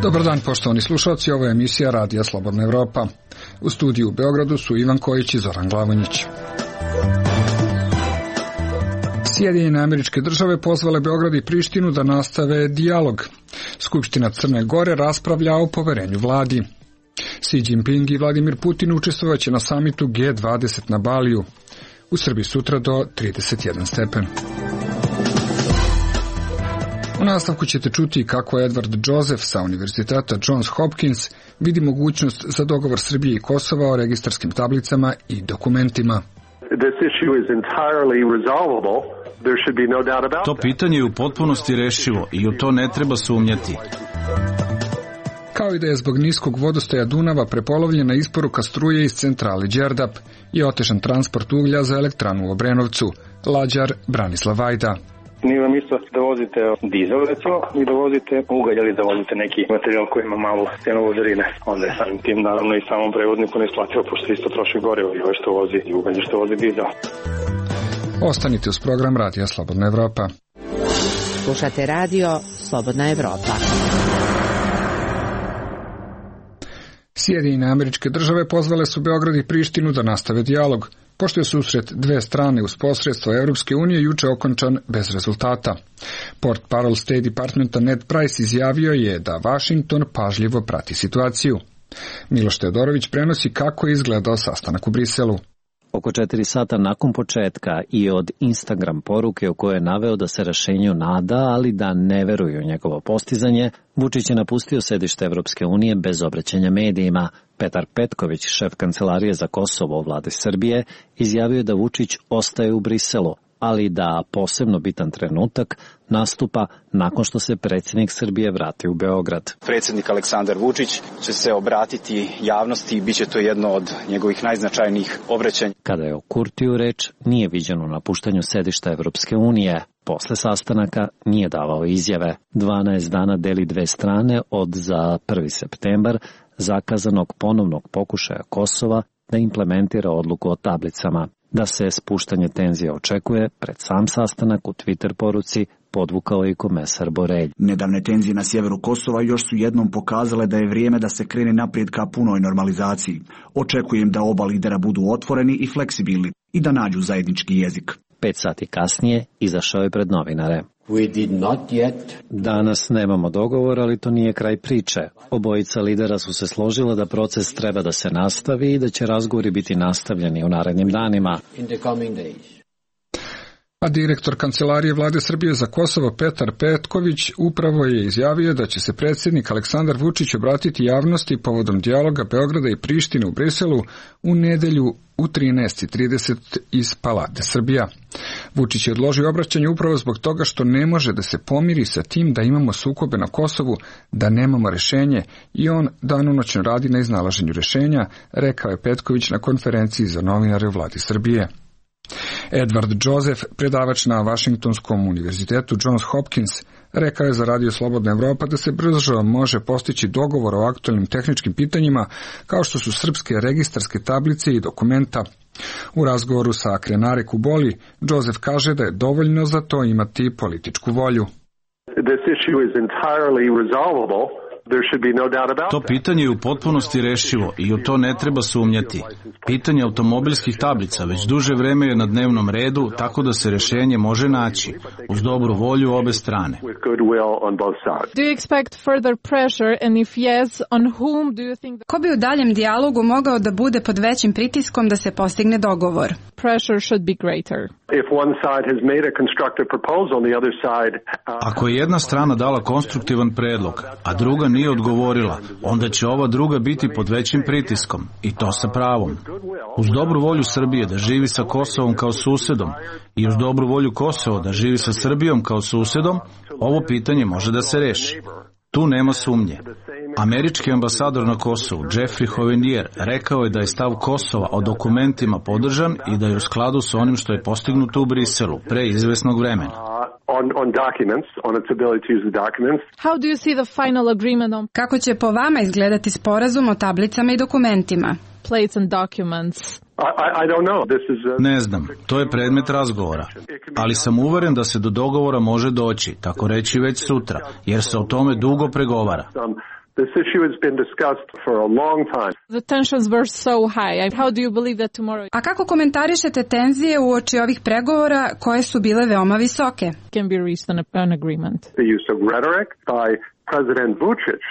Dobar dan, poštovani slušalci, ovo je emisija Radija Slobodna Evropa. U studiju u Beogradu su Ivan Kojić i Zoran Glavonjić. Sjedinjene Američke Države pozvale Beograd i Prištinu da nastave dijalog. Skupština Crne Gore raspravlja o poverenju vladi. Xi Jinping i Vladimir Putin učestvovaće na samitu G20 na Baliju. U Srbiji sutra do 31 stepen. U nastavku ćete čuti kako Edward Joseph sa Univerziteta Johns Hopkins vidi mogućnost za dogovor Srbije i Kosova o registarskim tablicama i dokumentima. To pitanje je u potpunosti rešivo i u to ne treba sumnjati. Kao i da je zbog niskog vodostaja Dunava prepolovljena isporuka struje iz centrale Đerdap i otežan transport uglja za elektranu u Obrenovcu. Lađar Branislav Vajda. Nije vam isto da vozite dizel, recimo, i da vozite ugalj ili da vozite neki materijal koji ima malu stenu vodarine. Onda je samim tim, naravno, i samom prevozniku ne isplativo, pošto isto troši gorivo i ovo što vozi i ugalj što vozi dizel. Ostanite uz program Radija Slobodna Evropa. Slušate radio Slobodna Evropa. Sjedinjene Američke Države pozvale su Beograd i Prištinu da nastave dijalog, pošto je susret dve strane uz posredstvo Evropske unije juče okončan bez rezultata. Portparol State Departmenta Ned Price izjavio je da Washington pažljivo prati situaciju. Miloš Teodorović prenosi kako je izgledao sastanak u Briselu. Oko 4 sata nakon početka i od Instagram poruke u kojoj je naveo da se rešenju nada, ali da ne veruju u njegovo postizanje, Vučić je napustio sedište Evropske unije bez obraćanja medijima. Petar Petković, šef Kancelarije za Kosovo u vladi Srbije, izjavio da Vučić ostaje u Briselu, ali da posebno bitan trenutak nastupa nakon što se predsjednik Srbije vrati u Beograd. Predsjednik Aleksandar Vučić će se obratiti javnosti i bit će to jedno od njegovih najznačajnijih obraćanja. Kada je o Kurtiju reč, nije viđen u napuštanju sedišta Evropske unije. Posle sastanaka nije davao izjave. 12 dana deli dve strane od za 1. septembar zakazanog ponovnog pokušaja Kosova da implementira odluku o tablicama. Da se spuštanje tenzija očekuje, pred sam sastanak u Twitter poruci podvukao i komesar Borelj. Nedavne tenzije na sjeveru Kosova još su jednom pokazale da je vrijeme da se krene naprijed ka punoj normalizaciji. Očekujem da oba lidera budu otvoreni i fleksibilni i da nađu zajednički jezik. 5 sati kasnije izašao je pred novinare. Danas nemamo dogovor, ali to nije kraj priče. Obojica lidera su se složila da proces treba da se nastavi i da će razgovori biti nastavljeni u narednim danima. A direktor Kancelarije vlade Srbije za Kosovo Petar Petković upravo je izjavio da će se predsjednik Aleksandar Vučić obratiti javnosti povodom dijaloga Beograda i Prištine u Briselu u nedelju u 13:30 iz Palate Srbija. Vučić je odložio obraćanje upravo zbog toga što ne može da se pomiri sa tim da imamo sukobe na Kosovu, da nemamo rešenje i on danonoćno radi na iznalaženju rešenja, rekao je Petković na konferenciji za novinare u vladi Srbije. Edward Joseph, predavač na Washingtonskom univerzitetu Johns Hopkins, rekao je za Radio Slobodna Evropa da se brzo može postići dogovor o aktualnim tehničkim pitanjima kao što su srpske registarske tablice i dokumenta. U razgovoru sa Krenare Kuboli, Joseph kaže da je dovoljno za to imati političku volju. To pitanje je u potpunosti rešivo i u to ne treba sumnjati. Pitanje automobilskih tablica već duže vreme je na dnevnom redu, tako da se rešenje može naći uz dobru volju obe strane. Ko bi u daljem dijalogu mogao da bude pod većim pritiskom da se postigne dogovor? Ako je jedna strana dala konstruktivan predlog, a druga nije odgovorila, onda će ova druga biti pod većim pritiskom, i to sa pravom. Uz dobru volju Srbije da živi sa Kosovom kao susedom i uz dobru volju Kosova da živi sa Srbijom kao susedom, ovo pitanje može da se reši. Tu nema sumnje. Američki ambasador na Kosovu, Jeffrey Hovenier, rekao je da je stav Kosova o dokumentima podržan i da je u skladu sa onim što je postignuto u Briselu pre izvesnog vremena. Kako će po vama izgledati sporazum o tablicama i dokumentima? Ne znam, to je predmet razgovora, ali sam uveren da se do dogovora može doći, tako reći već sutra, jer se o tome dugo pregovara. This issue has been discussed for a long time. The tensions were so high. How do you believe that tomorrow? A kako komentarišete tenzije uoči ovih pregovora koje su bile veoma visoke? Can be reached an agreement. The use of rhetoric by President Vučić.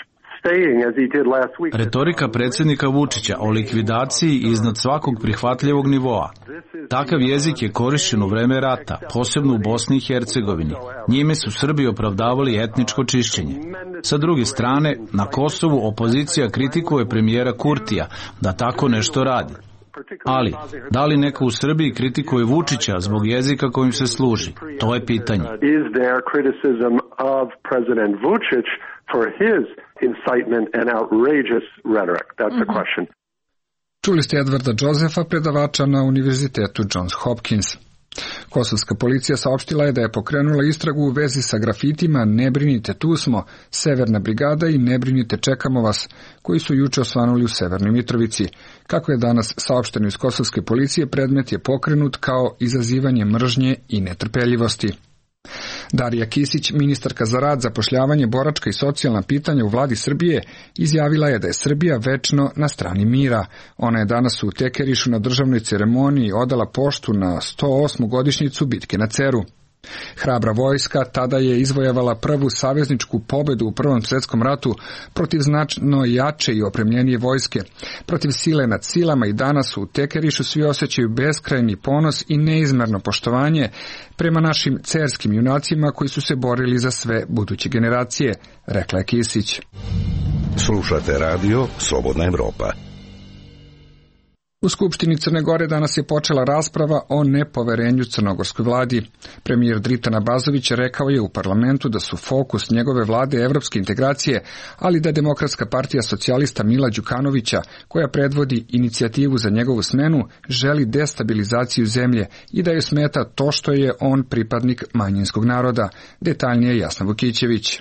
Retorika predsjednika Vučića o likvidaciji iznad svakog prihvatljivog nivoa. Takav jezik je korišćen u vreme rata, posebno u Bosni i Hercegovini. Njime su Srbi opravdavali etničko čišćenje. Sa druge strane, na Kosovu opozicija kritikuje premijera Kurtija da tako nešto radi. Ali, da li neko u Srbiji kritikuje Vučića zbog jezika kojim se služi? To je pitanje. For his incitement and outrageous rhetoric. That's the question. Čuli ste Edvarda Josefa, predavača na Univerzitetu Johns Hopkins. Kosovska policija saopštila je da je pokrenula istragu u vezi sa grafitima "Ne brinite, tu smo", Severna brigada i "Ne brinite, čekamo vas", koji su juče osvanuli u Severnoj Mitrovici. Kako je danas saopšteno iz kosovske policije, predmet je pokrenut kao izazivanje mržnje i netrpeljivosti. Darija Kisić, ministarka za rad, zapošljavanje, boračka i socijalna pitanja u vladi Srbije, izjavila je da je Srbija večno na strani mira. Ona je danas u Tekerišu na državnoj ceremoniji odala poštu na 108. godišnjicu bitke na Ceru. Hrabra vojska tada je izvojevala prvu savezničku pobedu u Prvom svjetskom ratu protiv značno jače i opremljenije vojske, protiv sile nad silama, i danas u Tekerišu svi osjećaju beskrajni ponos i neizmerno poštovanje prema našim cerskim junacima koji su se borili za sve buduće generacije, rekla je Kisić. Slušate radio Slobodna Evropa. U Skupštini Crne Gore danas je počela rasprava o nepoverenju crnogorskoj vladi. Premijer Dritan Abazović rekao je u parlamentu da su fokus njegove vlade evropske integracije, ali da Demokratska partija socijalista Mila Đukanovića, koja predvodi inicijativu za njegovu smenu, želi destabilizaciju zemlje i da joj smeta to što je on pripadnik manjinskog naroda. Detaljnije Jasna Vukićević.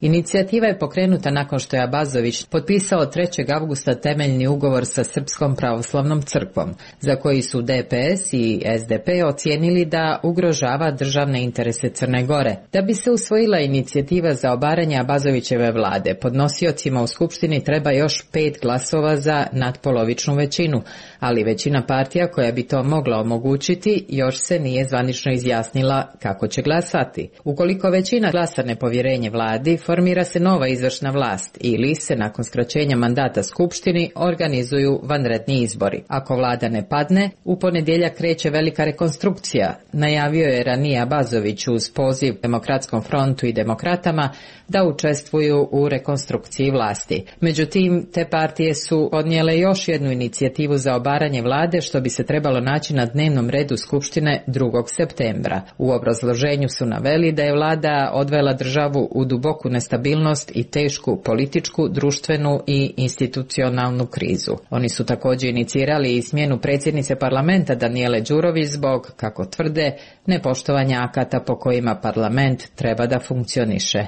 Inicijativa je pokrenuta nakon što je Abazović potpisao 3. avgusta temeljni ugovor sa Srpskom pravoslavnom crkvom, za koji su DPS i SDP ocijenili da ugrožava državne interese Crne Gore. Da bi se usvojila inicijativa za obaranje Abazovićeve vlade, podnosiocima u Skupštini treba još 5 glasova za nadpolovičnu većinu, ali većina partija koja bi to mogla omogućiti još se nije zvanično izjasnila kako će glasati. Ukoliko većina glasa nepovjerenje vladi, formira se nova izvršna vlast ili se nakon skraćenja mandata Skupštini organizuju vanredni izbori. Ako vlada ne padne, u ponedjeljak kreće velika rekonstrukcija, najavio je ranije Abazović uz poziv Demokratskom frontu i demokratama da učestvuju u rekonstrukciji vlasti. Međutim, te partije su podnijele još jednu inicijativu za obaranje vlade, što bi se trebalo naći na dnevnom redu Skupštine 2. septembra. U obrazloženju su naveli da je vlada odvela državu u duboku nestabilnost i tešku političku, društvenu i institucionalnu krizu. Oni su također inicirali i smjenu predsjednice parlamenta Danijele Đurović zbog, kako tvrde, nepoštovanja akata po kojima parlament treba da funkcioniše.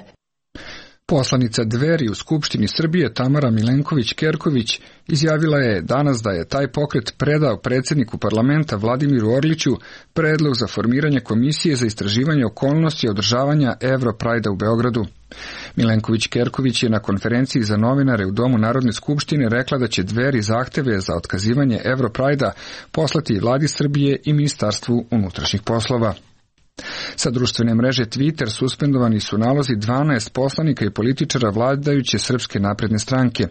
Poslanica Dveri u Skupštini Srbije Tamara Milenković-Kerković izjavila je danas da je taj pokret predao predsjedniku parlamenta Vladimiru Orliću predlog za formiranje komisije za istraživanje okolnosti održavanja Europrajda u Beogradu. Milenković-Kerković je na konferenciji za novinare u Domu Narodne skupštine rekla da će Dveri zahteve za otkazivanje Europrajda poslati vladi Srbije i Ministarstvu unutrašnjih poslova. Sa društvene mreže Twitter suspendovani su nalozi 12 poslanika i političara vladajuće Srpske napredne stranke,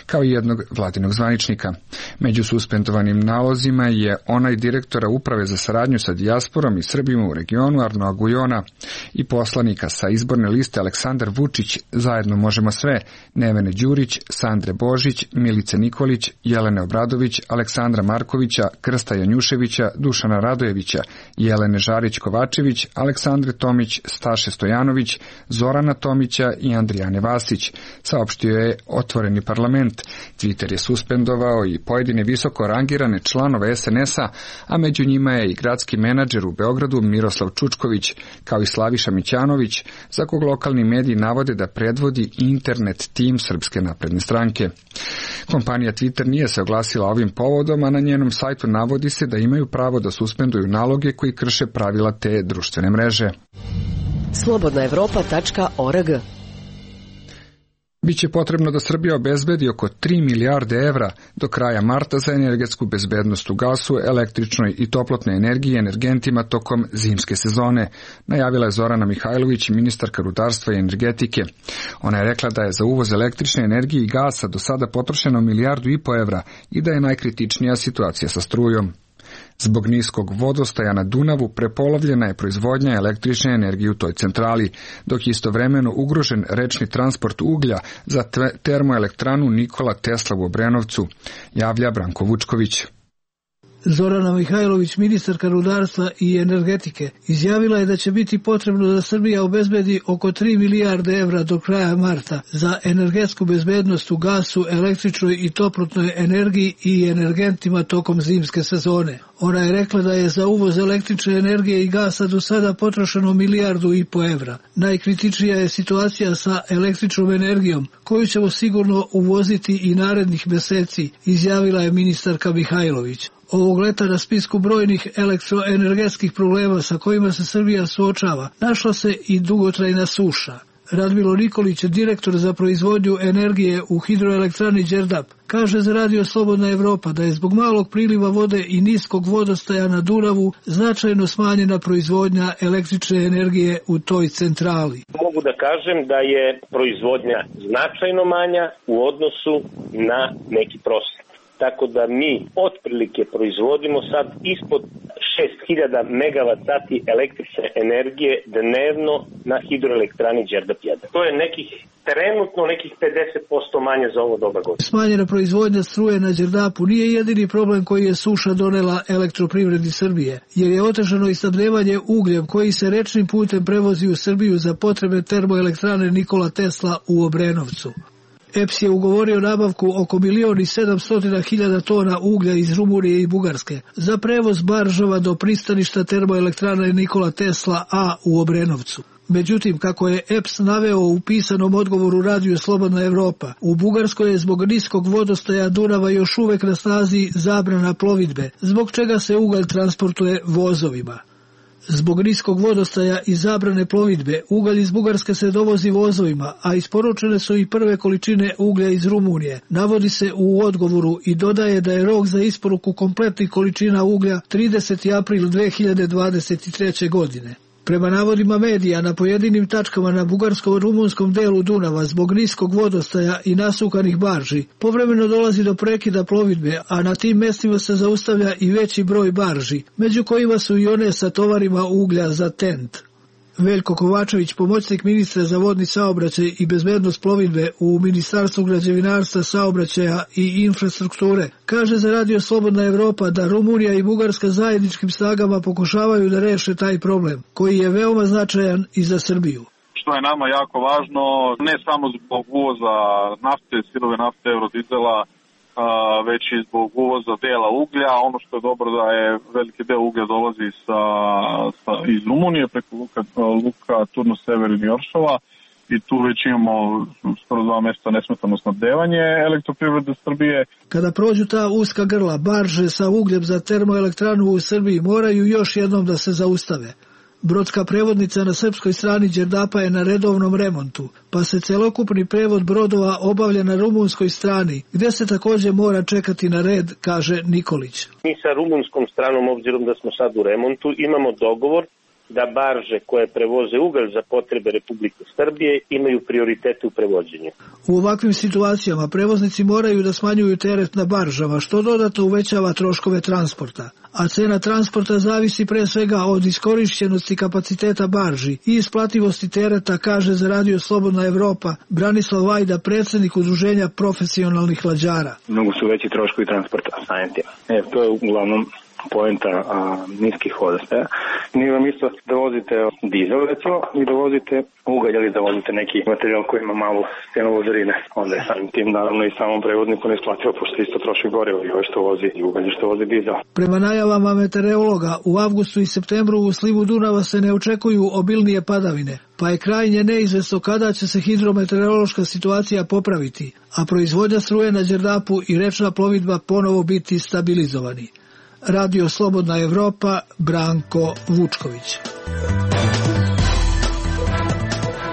kao i jednog vladinog zvaničnika. Među suspendovanim nalozima je onaj direktora Uprave za saradnju sa dijasporom i Srbima u regionu Arno Agujona i poslanika sa izborne liste Aleksandar Vučić, Zajedno možemo sve, Nevene Đurić, Sandre Božić, Milice Nikolić, Jelene Obradović, Aleksandra Markovića, Krsta Janjuševića, Dušana Radojevića, Jelene Žarić-Kovačević, Aleksandre Tomić, Staše Stojanović, Zorana Tomića i Andrijane Vasić, saopštio je Otvoreni parlament. Twitter je suspendovao i pojedine visoko rangirane članove SNS-a, a među njima je i gradski menadžer u Beogradu Miroslav Čučković, kao i Slaviša Mićanović, za kog lokalni mediji navode da predvodi internet tim Srpske napredne stranke. Kompanija Twitter nije se oglasila ovim povodom, a na njenom sajtu navodi se da imaju pravo da suspenduju naloge koji krše pravila te društvene mreže. Slobodnaevropa.org Biće potrebno da Srbija obezbedi oko 3 milijarde evra do kraja marta za energetsku bezbednost u gasu, električnoj i toplotnoj energiji i energentima tokom zimske sezone, najavila je Zorana Mihajlović, ministarka rudarstva i energetike. Ona je rekla da je za uvoz električne energije i gasa do sada potrošeno 1,5 milijardu evra i da je najkritičnija situacija sa strujom. Zbog niskog vodostaja na Dunavu prepolovljena je proizvodnja električne energije u toj centrali, dok je istovremeno ugrožen rečni transport uglja za termoelektranu Nikola Tesla u Obrenovcu, javlja Branko Vučković. Zorana Mihajlović, ministarka rudarstva i energetike, izjavila je da će biti potrebno da Srbija obezbedi oko 3 milijarde evra do kraja marta za energetsku bezbednost u gasu, električnoj i toplotnoj energiji i energentima tokom zimske sezone. Ona je rekla da je za uvoz električne energije i gasa do sada potrošeno 1,5 milijardu evra. Najkritičnija je situacija sa električnom energijom, koju ćemo sigurno uvoziti i narednih meseci, izjavila je ministarka Mihajlović. Ovog leta na spisku brojnih elektroenergetskih problema sa kojima se Srbija suočava, našla se i dugotrajna suša. Radmilo Nikolić, direktor za proizvodnju energije u hidroelektrani Đerdap, kaže za Radio Slobodna Evropa da je zbog malog priliva vode i niskog vodostaja na Dunavu značajno smanjena proizvodnja električne energije u toj centrali. Mogu da kažem da je proizvodnja značajno manja u odnosu na neki prosjek. Tako da mi otprilike proizvodimo sad ispod 6000 megavat sati električne energije dnevno na hidroelektrani Đerdap 1. To je trenutno nekih 50% manje za ovo doba godine. Smanjena proizvodnja struje na Đerdapu nije jedini problem koji je suša donela elektroprivredi Srbije, jer je otežano i snabdevanje ugljem koji se rečnim putem prevozi u Srbiju za potrebe termoelektrane Nikola Tesla u Obrenovcu. EPS je ugovorio nabavku oko 1.700.000 tona uglja iz Rumunije i Bugarske za prevoz baržava do pristaništa termoelektrane Nikola Tesla A u Obrenovcu. Međutim, kako je EPS naveo u pisanom odgovoru Radio Slobodna Evropa, u Bugarskoj je zbog niskog vodostaja Dunava još uvek na snazi zabrana plovidbe, zbog čega se ugalj transportuje vozovima. Zbog niskog vodostaja i zabrane plovidbe, ugalj iz Bugarske se dovozi vozovima, a isporučene su i prve količine uglja iz Rumunije, navodi se u odgovoru i dodaje da je rok za isporuku kompletnih količina uglja 30. april 2023. godine. Prema navodima medija, na pojedinim tačkama na bugarsko-rumunskom delu Dunava zbog niskog vodostaja i nasukanih barži povremeno dolazi do prekida plovidbe, a na tim mestima se zaustavlja i veći broj barži, među kojima su i one sa tovarima uglja za TENT. Veljko Kovačević, pomoćnik ministra za vodni saobraćaj i bezbednost plovidbe u Ministarstvu građevinarstva, saobraćaja i infrastrukture, kaže za Radio Slobodna Evropa da Rumunija i Bugarska zajedničkim snagama pokušavaju da reše taj problem, koji je veoma značajan i za Srbiju. Što je nama jako važno, ne samo zbog uvoza nafte, sirove nafte, eurodizela, već i zbog uvoza dela uglja. Ono što je dobro da je veliki deo uglja dolazi iz Rumunije preko luka Turno Sever i Njoršova i tu već imamo skoro 2 mesta nesmetano snabdevanje elektroprivrede Srbije. Kada prođu ta uska grla, barže sa ugljem za termoelektranu u Srbiji moraju još jednom da se zaustave. Brodska prevodnica na srpskoj strani Đerdapa je na redovnom remontu, pa se celokupni prevod brodova obavlja na rumunskoj strani, gde se takođe mora čekati na red, kaže Nikolić. Mi sa rumunskom stranom, obzirom da smo sad u remontu, imamo dogovor da barže koje prevoze ugalj za potrebe Republike Srbije imaju prioritete u prevođenju. U ovakvim situacijama prevoznici moraju da smanjuju teret na baržama, što dodatno uvećava troškove transporta. A cena transporta zavisi pre svega od iskorišćenosti kapaciteta barži i isplativosti tereta, kaže za Radio Slobodna Evropa Branislav Vajda, predsjednik Udruženja profesionalnih lađara. Mnogo su veći troškovi transporta samim tim. To je uglavnom poenta niskih vodostaja. Nije vam isto da vozite dizel, recimo, i da vozite ugalj ili da vozite neki materijal koji ima malu stenu vozarine. Onda je samim tim, naravno, i samom prevodniku ne isplativo, pošto isto troši gorivo i ovo što vozi i ugalj što vozi dizel. Prema najavama meteorologa, u avgustu i septembru u slivu Dunava se ne očekuju obilnije padavine, pa je krajnje neizvesno kada će se hidrometeorološka situacija popraviti, a proizvodnja struje na Đerdapu i rečna plovidba ponovo biti stabilizovani. Radio Slobodna Evropa, Branko Vučković.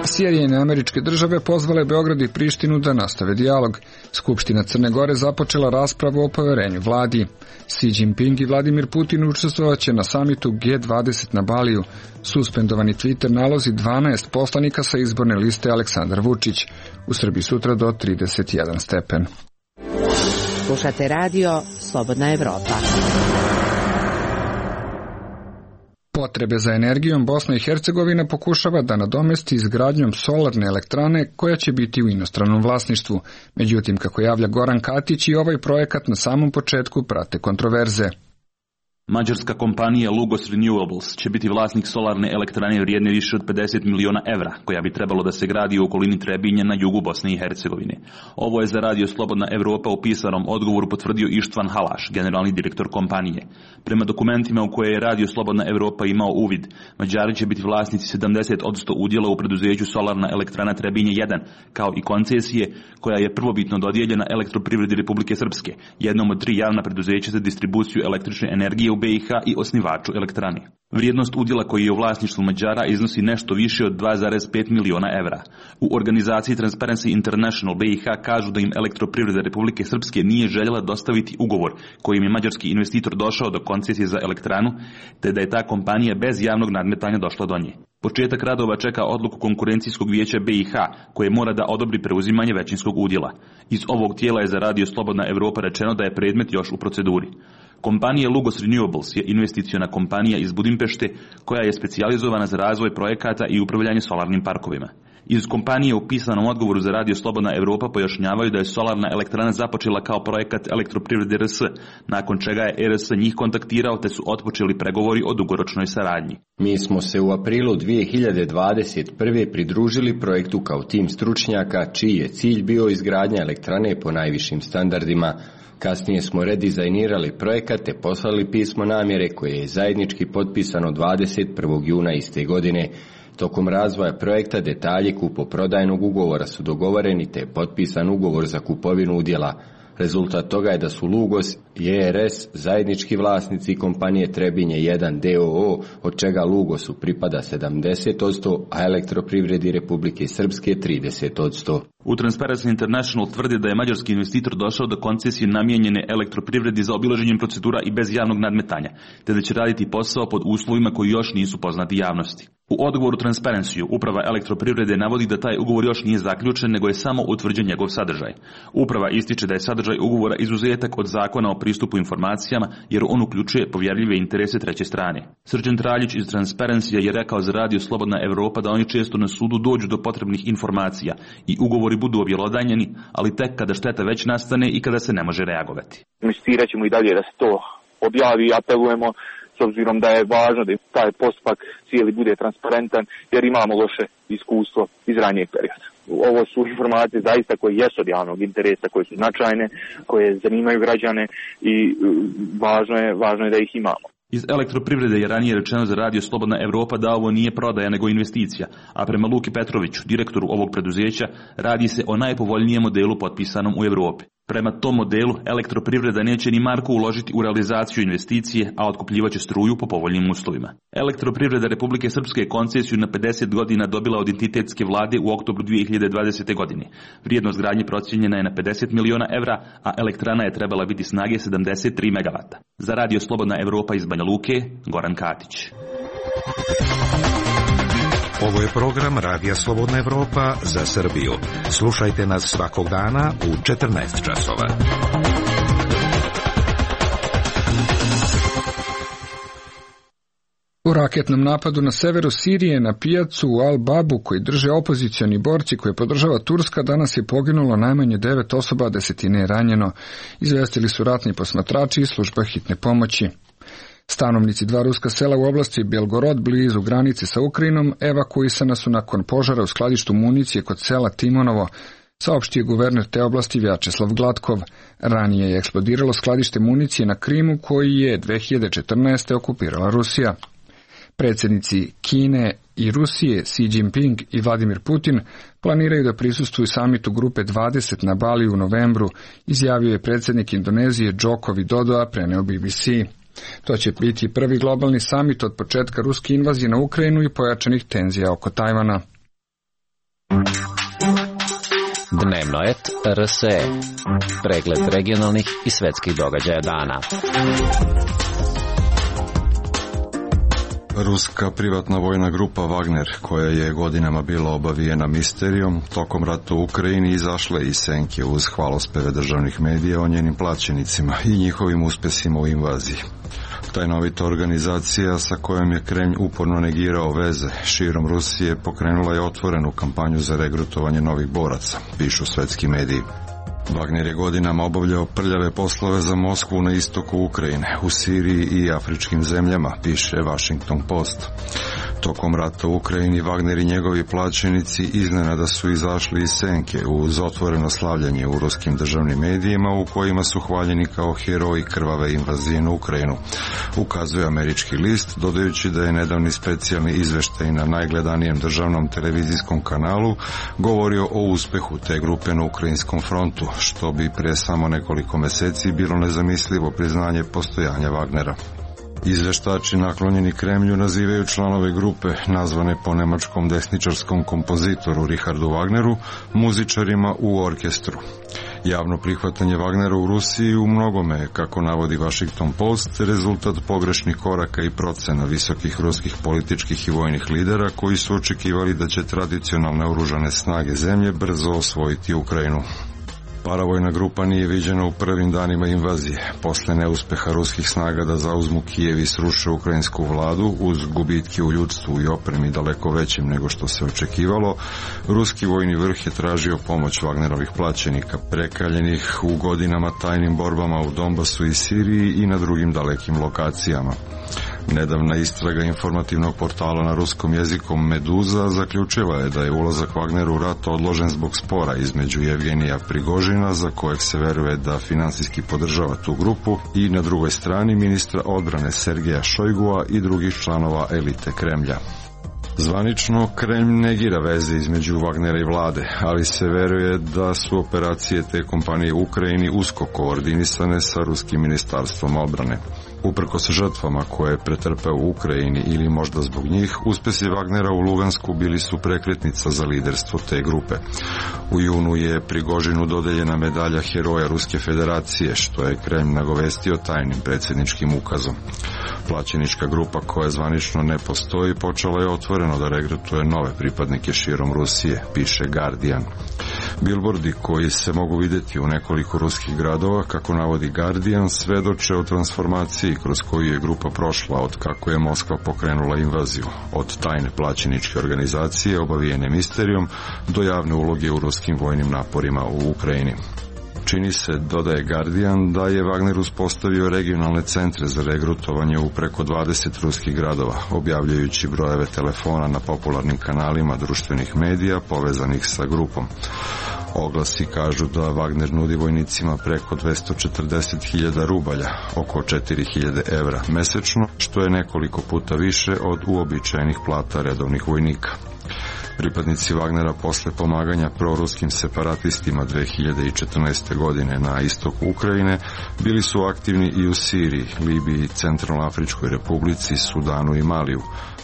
Sjedinjene Američke Države pozvale Beograd i Prištinu da nastave dijalog. Skupština Crne Gore započela raspravu o poverenju vladi. Xi Jinping i Vladimir Putin učestvovaće na samitu G20 na Baliju. Suspendovani Twitter nalozi 12 poslanika sa izborne liste Aleksandar Vučić. U Srbiji sutra do 31 stepen. Slušate radio Slobodna Evropa. Potrebe za energijom Bosna i Hercegovina pokušava da nadomesti izgradnjom solarne elektrane koja će biti u inostranom vlasništvu. Međutim, kako javlja Goran Katić, i ovaj projekat na samom početku prate kontroverze. Mađarska kompanija Lugos Renewables će biti vlasnik solarne elektrane vrijedne više od 50 miliona evra, koja bi trebalo da se gradi u okolini Trebinja na jugu Bosne i Hercegovine. Ovo je za radio Slobodna Evropa u pisanom odgovoru potvrdio Ištvan Halaš, generalni direktor kompanije. Prema dokumentima u koje je radio Slobodna Evropa imao uvid, Mađari će biti vlasnici 70% udjela u preduzeću Solarna elektrana Trebinje 1, kao i koncesije koja je prvobitno dodijeljena Elektroprivredi Republike Srpske, jednom od 3 javna preduzeća za distribuciju električne energije u BiH i osnivaču elektrane. Vrijednost udjela koji je u vlasništvu Mađara iznosi nešto više od 2,5 miliona evra. U organizaciji Transparency International BiH kažu da im Elektroprivreda Republike Srpske nije željela dostaviti ugovor kojim je mađarski investitor došao do koncesije za elektranu, te da je ta kompanija bez javnog nadmetanja došla do nje. Početak radova čeka odluku konkurencijskog vijeća BiH, koje mora da odobri preuzimanje većinskog udjela. Iz ovog tijela je za radio Slobodna Evropa rečeno da je predmet još u proceduri. Kompanija Lugos Renewables je investiciona kompanija iz Budimpešte koja je specijalizovana za razvoj projekata i upravljanje solarnim parkovima. Iz kompanije u pisanom odgovoru za radio Slobodna Evropa pojašnjavaju da je solarna elektrana započela kao projekat Elektroprivrede RS, nakon čega je RS njih kontaktirao te su otpočeli pregovori o dugoročnoj saradnji. Mi smo se u aprilu 2021. pridružili projektu kao tim stručnjaka čiji je cilj bio izgradnja elektrane po najvišim standardima. Kasnije smo redizajnirali projekat te poslali pismo namjere koje je zajednički potpisano 21. juna iste godine. Tokom razvoja projekta detalji kupoprodajnog ugovora su dogovoreni te je potpisan ugovor za kupovinu udjela. Rezultat toga je da su Lugos i ERS zajednički vlasnici kompanije Trebinje 1 DOO, od čega Lugosu pripada 70%, a Elektroprivredi Republike Srpske 30%. U Transparency International tvrdi da je mađarski investitor došao do koncesije namijenjene Elektroprivredi za obilaženjem procedura i bez javnog nadmetanja, te da će raditi posao pod uslovima koji još nisu poznati javnosti. U odgovoru Transparency uprava Elektroprivrede navodi da taj ugovor još nije zaključen, nego je samo utvrđen njegov sadržaj. Uprava ističe da je sadržaj ugovora izuzetak od zakona o pristupu informacijama, jer on uključuje povjerljive interese treće strane. Srđan Traljić iz Transparency je rekao za radio Slobodna Evropa da oni često na sudu dođu do potrebnih informacija i ugovori budu objelodanjeni, ali tek kada šteta već nastane i kada se ne može reagovati. Insistirat ćemo i dalje da se to objavi i apelujemo, s obzirom da je važno da taj postupak cijeli bude transparentan, jer imamo loše iskustvo iz ranijeg perioda. Ovo su informacije zaista koje jesu od javnog interesa, koje su značajne, koje zanimaju građane i važno je da ih imamo. Iz Elektroprivrede je ranije rečeno za radio Slobodna Evropa da ovo nije prodaja nego investicija, a prema Luki Petroviću, direktoru ovog preduzeća, radi se o najpovoljnijem modelu potpisanom u Evropi. Prema tom modelu Elektroprivreda neće ni marku uložiti u realizaciju investicije, a otkupljivaće struju po povoljnim uslovima. Elektroprivreda Republike Srpske koncesiju na 50 godina dobila od entitetske vlade u oktobru 2020. godine. Vrijednost gradnje procijenjena je na 50 miliona evra, a elektrana je trebala biti snage 73 megavata. Za radio Slobodna Evropa iz Banja Luke, Goran Katić. Ovo je program Radija Slobodna Evropa za Srbiju. Slušajte nas svakog dana u 14 časova. U raketnom napadu na severu Sirije na pijacu u Al-Babu koji drže opozicioni borci koje podržava Turska danas je poginulo najmanje 9 osoba, a 10 je ranjeno. Izvestili su ratni posmatrači i služba hitne pomoći. Stanovnici 2 ruska sela u oblasti Belgorod blizu granice sa Ukrajinom evakuisana su nakon požara u skladištu municije kod sela Timonovo, saopštio guverner te oblasti Vjačeslav Gladkov. Ranije je eksplodiralo skladište municije na Krimu koji je 2014. okupirala Rusija. Predsjednici Kine i Rusije Xi Jinping i Vladimir Putin planiraju da prisustvuju samitu grupe 20 na Bali u novembru, izjavio je predsjednik Indonezije Joko Widodo, a preneo BBC. To će biti prvi globalni samit od početka ruske invazije na Ukrajinu i pojačanih tenzija oko Tajvana. Dnevnoet.rs. Pregled regionalnih i svetskih događaja dana. Ruska privatna vojna grupa Wagner, koja je godinama bila obavijena misterijom, tokom rata u Ukrajini izašla iz senke uz hvalospeve državnih medija o njenim plaćenicima i njihovim uspesima u invaziji. Tajnovita organizacija sa kojom je Kremlj uporno negirao veze širom Rusije pokrenula je otvorenu kampanju za regrutovanje novih boraca, pišu svetski mediji. Wagner je godinama obavljao prljave poslove za Moskvu na istoku Ukrajine, u Siriji i afričkim zemljama, piše Washington Post. Tokom rata u Ukrajini Wagner i njegovi plaćenici iznenada su izašli iz senke uz otvoreno slavljanje u ruskim državnim medijima u kojima su hvaljeni kao heroji krvave invazije na Ukrajinu, ukazuje američki list, dodajući da je nedavni specijalni izveštaj na najgledanijem državnom televizijskom kanalu govorio o uspehu te grupe na ukrajinskom frontu, što bi pre samo nekoliko meseci bilo nezamislivo priznanje postojanja Wagnera. Izveštači naklonjeni Kremlju nazivaju članove grupe, nazvane po nemačkom desničarskom kompozitoru Richardu Wagneru, muzičarima u orkestru. Javno prihvatanje Wagnera u Rusiji u mnogome, kako navodi Washington Post, rezultat pogrešnih koraka i procena visokih ruskih političkih i vojnih lidera koji su očekivali da će tradicionalne oružane snage zemlje brzo osvojiti Ukrajinu. Paravojna grupa nije viđena u prvim danima invazije. Posle neuspeha ruskih snaga da zauzmu Kijev i sruše ukrajinsku vladu, uz gubitke u ljudstvu i opremi daleko većim nego što se očekivalo, ruski vojni vrh je tražio pomoć Wagnerovih plaćenika, prekaljenih u godinama tajnim borbama u Donbasu i Siriji i na drugim dalekim lokacijama. Nedavna istraga informativnog portala na ruskom jeziku Meduza zaključila je da je ulazak Wagnera u rat odložen zbog spora između Jevgenija Prigožina, za kojeg se veruje da finansijski podržava tu grupu, i na drugoj strani ministra odbrane Sergeja Šojgua i drugih članova elite Kremlja. Zvanično, Kremlj negira veze između Wagnera i vlade, ali se veruje da su operacije te kompanije u Ukrajini usko koordinisane sa ruskim ministarstvom odbrane. Uprkos žrtvama koje je pretrpeo u Ukrajini ili možda zbog njih, uspesi Wagnera u Lugansku bili su prekretnica za liderstvo te grupe. U junu je Prigožinu dodeljena medalja Heroja Ruske federacije, što je Kremlj nagovestio tajnim predsjedničkim ukazom. Plaćenička grupa, koja zvanično ne postoji, počela je otvoreno da regrutuje nove pripadnike širom Rusije, piše Guardian. Bilbordi koji se mogu vidjeti u nekoliko ruskih gradova, kako navodi Guardian, svedoče o transformaciji kroz koju je grupa prošla od kako je Moskva pokrenula invaziju, od tajne plaćeničke organizacije obavijene misterijom do javne uloge u ruskim vojnim naporima u Ukrajini. Čini se, dodaje Guardian, da je Wagner uspostavio regionalne centre za regrutovanje u preko 20 ruskih gradova, objavljajući brojeve telefona na popularnim kanalima društvenih medija povezanih sa grupom. Oglasi kažu da Wagner nudi vojnicima preko 240.000 rubalja, oko 4.000 evra mesečno, što je nekoliko puta više od uobičajenih plata redovnih vojnika. Pripadnici Wagnera posle pomaganja proruskim separatistima 2014. godine na istoku Ukrajine bili su aktivni i u Siriji, Libiji, Centralnoafričkoj republici, Sudanu i Maliju,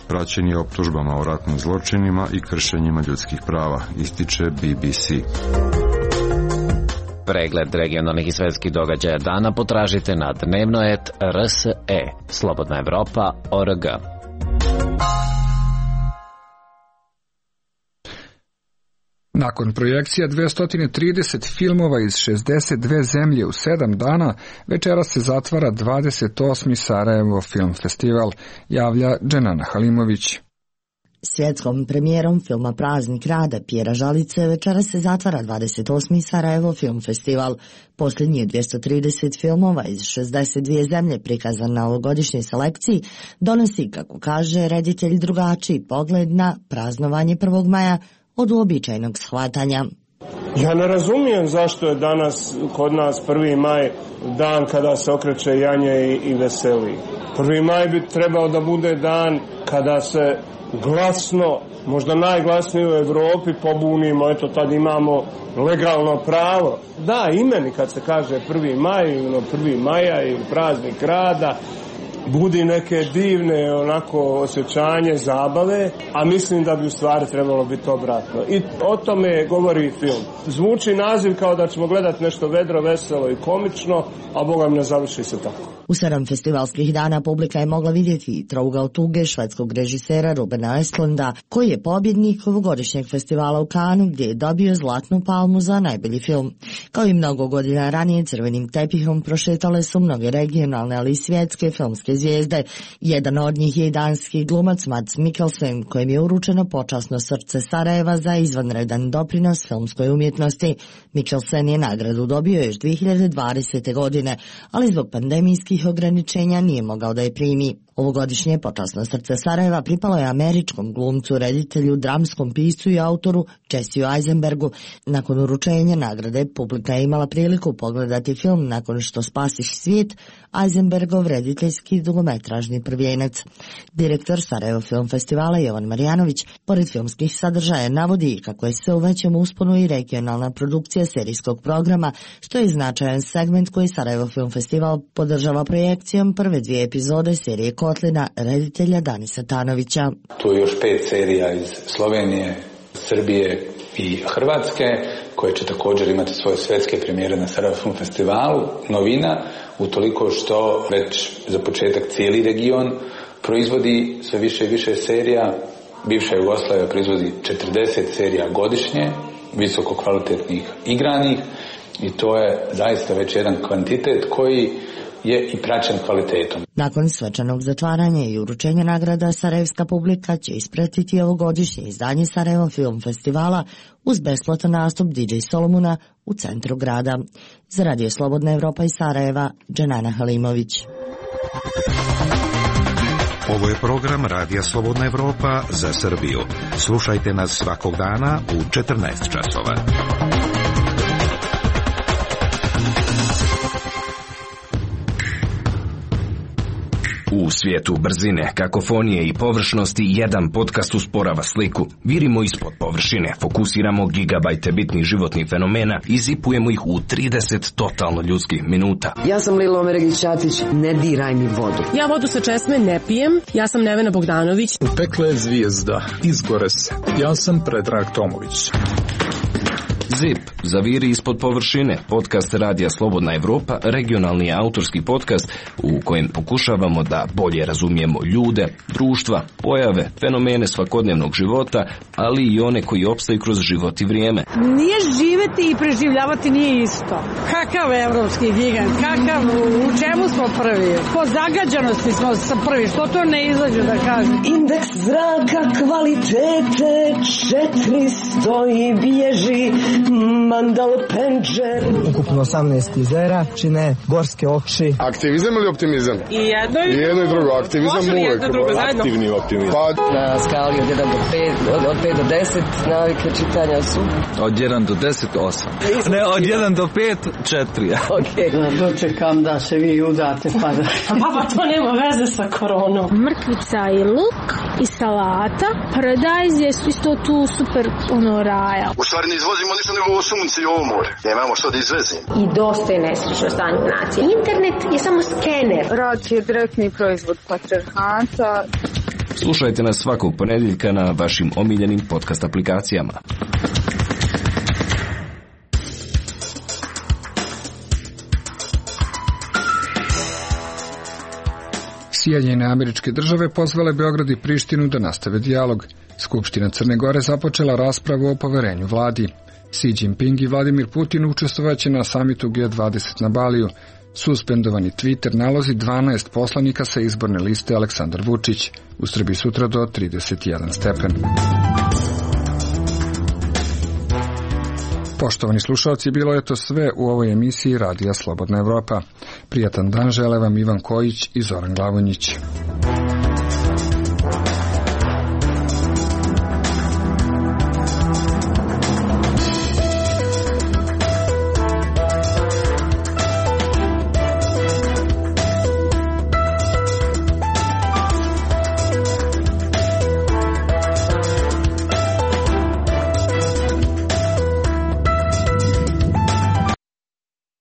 praćeni optužbama o ratnim zločinima i kršenjima ljudskih prava, ističe BBC. Pregled regionalnih i svetskih događaja dana potražite na dnevnoet.rs. Slobodna Evropa.org. Nakon projekcija 230 filmova iz 62 zemlje u 7 dana, večeras se zatvara 28. Sarajevo Film Festival, javlja Dženana Halimović. Svjetskom premijerom filma Praznik rada Pjera Žalice večeras se zatvara 28. Sarajevo Film Festival. Posljednji 230 filmova iz 62 zemlje prikazan na ovogodišnjoj selekciji donosi, kako kaže reditelj, drugačiji pogled na praznovanje 1. maja od uobičajenog shvatanja. Ja ne razumijem zašto je danas kod nas 1. maj dan kada se okreće janje i veseli. 1. maj bi trebao da bude dan kada se glasno, možda najglasnije u Evropi, pobunimo, eto tad imamo legalno pravo. Da, i meni kad se kaže 1. maj, 1. maja ili praznik rada, budi neke divne onako osjećanje, zabave, a mislim da bi u stvari trebalo biti obratno. I o tome govori film. Zvuči naziv kao da ćemo gledati nešto vedro, veselo i komično, a Boga mi ne završi se tako. U 7 festivalskih dana publika je mogla vidjeti Trougao tuge švedskog režisera Rubena Östlunda, koji je pobjednik ovogodišnjeg festivala u Cannesu gdje je dobio Zlatnu palmu za najbolji film. Kao i mnogo godina ranije, crvenim tepihom prošetale su mnoge regionalne, ali i svjetske filmske zvijezde. Jedan od njih je i danski glumac Mads Mikkelsen, kojem je uručeno počasno srce Sarajeva za izvanredan doprinos filmskoj umjetnosti. Mikkelsen je nagradu dobio još 2020. godine, ali zbog pandemijskih ograničenja nije mogao da je primi. Ovogodišnje počasno srce Sarajeva pripalo je američkom glumcu, reditelju, dramskom piscu i autoru Jesseu Eisenbergu. Nakon uručenja nagrade publika je imala priliku pogledati film Nakon što spasiš svijet, Eisenbergov rediteljski dugometražni prvijenac. Direktor Sarajevo Film Festivala Jovan Marjanović pored filmskih sadržaja navodi kako je sve u većem usponu i regionalna produkcija serijskog programa, što je značajan segment koji Sarajevo Film Festival podržava projekcijom prve 2 epizode serije Kotlina reditelja Danisa Tanovića. Tu je još 5 serija iz Slovenije, Srbije i Hrvatske, koje će također imati svoje svjetske premijere na Sarajevo Film Festivalu. Novina, utoliko što već za početak cijeli region proizvodi sve više i više serija. Bivša Jugoslavija proizvodi 40 serija godišnje, visoko kvalitetnih igranih, i to je zaista već jedan kvantitet koji je i praćen kvalitetom. Nakon svečanog zatvaranja i uručenja nagrada, sarajevska publika će ispratiti ovogodišnje izdanje Sarajevo Film Festivala uz besplatan nastup DJ Solomuna u centru grada. Za Radio Slobodna Evropa iz Sarajeva, Dženana Halimović. Ovo je program Radija Slobodna Evropa za Srbiju. Slušajte nas svakog dana u 14 časova. U svijetu brzine, kakofonije i površnosti jedan podcast usporava sliku. Virimo ispod površine, fokusiramo gigabajte bitnih životnih fenomena i zipujemo ih u 30 totalno ljudskih minuta. Ja sam Lilo Omeregić-Ćatić, ne diraj mi vodu. Ja vodu sa česme ne pijem, ja sam Nevena Bogdanović. Pekla je zvijezda, izgore se. Ja sam Predrag Tomović. ZIP, zaviri ispod površine, podcast Radija Slobodna Evropa, regionalni autorski podcast u kojem pokušavamo da bolje razumijemo ljude, društva, pojave, fenomene svakodnevnog života, ali i one koji opstaju kroz život i vrijeme. Nije živeti i preživljavati nije isto. Kakav evropski gigant, kakav, u čemu smo prvi? Po zagađanosti smo prvi, što to ne izađe da kažem? Indeks zraka kvalitete 400 i bježi Mandal Penđer. Ukupno 18 jezera čine gorske oči. Aktivizam ili optimizam? I jedno i drugo. Aktivizam uvijek. Aktivni optimizam. Na skali od 1 do 5, od 5 do 10 navike čitanja su? Od 1 do 10, 8. Ne, od 1 do 5, 4. Ok. Dočekam da se vi udate pa da... Pa to nema veze sa koronom. Mrkvica i luk i salata. Paradajz je isto tu super raja. U stvari ne izvozimo ništa nego ovo sunce i ovo more. Nemamo što da izvezimo. I dosta je nesrećno stanje nacije. Internet je samo skener. Rad je direktni proizvod patrijarhata. Slušajte nas svakog ponedjeljka na vašim omiljenim podcast aplikacijama. Sjedinjene Američke Države pozvale Beograd i Prištinu da nastave dijalog. Skupština Crne Gore započela raspravu o poverenju vladi. Xi Jinping i Vladimir Putin učestvovaće na samitu G20 na Baliju. Suspendovani Twitter nalozi 12 poslanika sa izborne liste Aleksandar Vučić. U Srbiji sutra do 31 stepen. Poštovani slušalci, bilo je to sve u ovoj emisiji Radija Slobodna Evropa. Prijatan dan žele vam Ivan Kojić i Zoran Glavonjić.